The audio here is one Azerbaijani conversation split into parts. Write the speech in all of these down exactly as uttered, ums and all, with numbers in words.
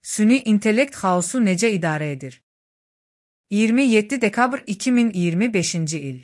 Süni intellekt xaosu necə idarə edir? iyirmi yeddi dekabr iki min iyirmi beşinci il.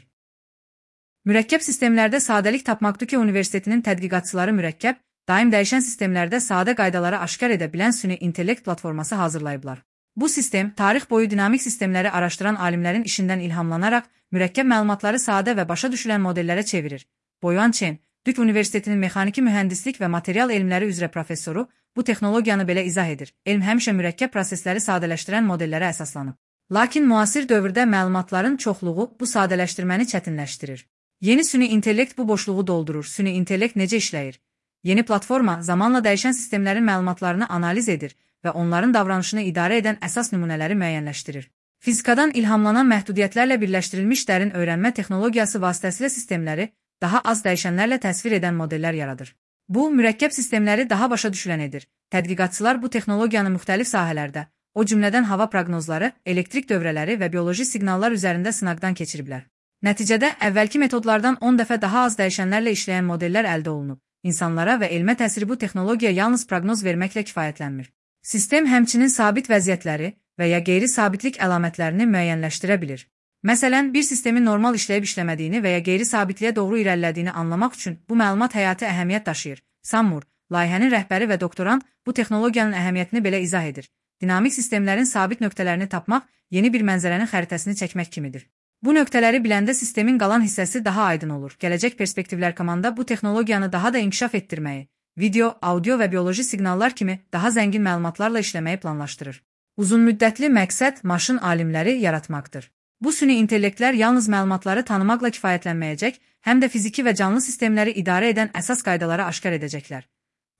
Mürəkkəb sistemlərdə sadəlik tapmaq Duke Universitetinin tədqiqatçıları mürəkkəb, daim dəyişən sistemlərdə sadə qaydaları aşkar edə bilən süni intellekt platforması hazırlayıblar. Bu sistem, tarix boyu dinamik sistemləri araşdıran alimlərin işindən ilhamlanaraq, mürəkkəb məlumatları sadə və başa düşülən modellərə çevirir. Boyuan Chen, Duke Universitetinin mexaniki mühəndislik və material elmləri üzrə professoru, bu texnologiyanı belə izah edir. Elm həmişə mürəkkəb prosesləri sadələşdirən modellərə əsaslanıb. Lakin müasir dövrdə məlumatların çoxluğu bu sadələşdirməni çətinləşdirir. Yeni süni intellekt bu boşluğu doldurur. Süni intellekt necə işləyir? Yeni platforma zamanla dəyişən sistemlərin məlumatlarını analiz edir və onların davranışını idarə edən əsas nümunələri müəyyənləşdirir. Fizikadan ilhamlanan məhdudiyyətlərlə birləşdirilmiş dərin öyrənmə texnologiyası vasitəsilə sistemləri daha az dəyişənlərlə təsvir edən modellər yaradır. Bu, mürəkkəb sistemləri daha başa düşülən edir. Tədqiqatçılar bu texnologiyanı müxtəlif sahələrdə, o cümlədən hava proqnozları, elektrik dövrələri və bioloji siqnallar üzərində sınaqdan keçiriblər. Nəticədə, əvvəlki metodlardan on dəfə daha az dəyişənlərlə işləyən modellər əldə olunub. İnsanlara və elmə təsiri bu texnologiya yalnız proqnoz verməklə kifayətlənmir. Sistem həmçinin sabit vəziyyətləri və ya qeyri-sabitlik əlamətlərini müəyyənləşdirə bilir. Məsələn, bir sistemin normal işləyib işləmədiyini və ya qeyri-sabitliyə doğru irəlilədiyini anlamaq üçün bu məlumat həyati əhəmiyyət daşıyır. Samur, layihənin rəhbəri və doktorant bu texnologiyanın əhəmiyyətini belə izah edir. Dinamik sistemlərin sabit nöqtələrini tapmaq yeni bir mənzərənin xəritəsini çəkmək kimidir. Bu nöqtələri biləndə sistemin qalan hissəsi daha aydın olur. Gələcək perspektivlər komanda bu texnologiyanı daha da inkişaf etdirməyi, video, audio və bioloji siqnallar kimi daha zəngin məlumatlarla işləməyi planlaşdırır. Uzunmüddətli məqsəd maşın alimləri yaratmaqdır. Bu süni intellektlər yalnız məlumatları tanımaqla kifayətlənməyəcək, həm də fiziki və canlı sistemləri idarə edən əsas qaydaları aşkar edəcəklər.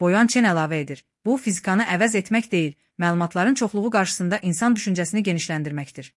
Boyuan Chen əlavə edir. Bu, fizikanı əvəz etmək deyil, məlumatların çoxluğu qarşısında insan düşüncəsini genişləndirməkdir.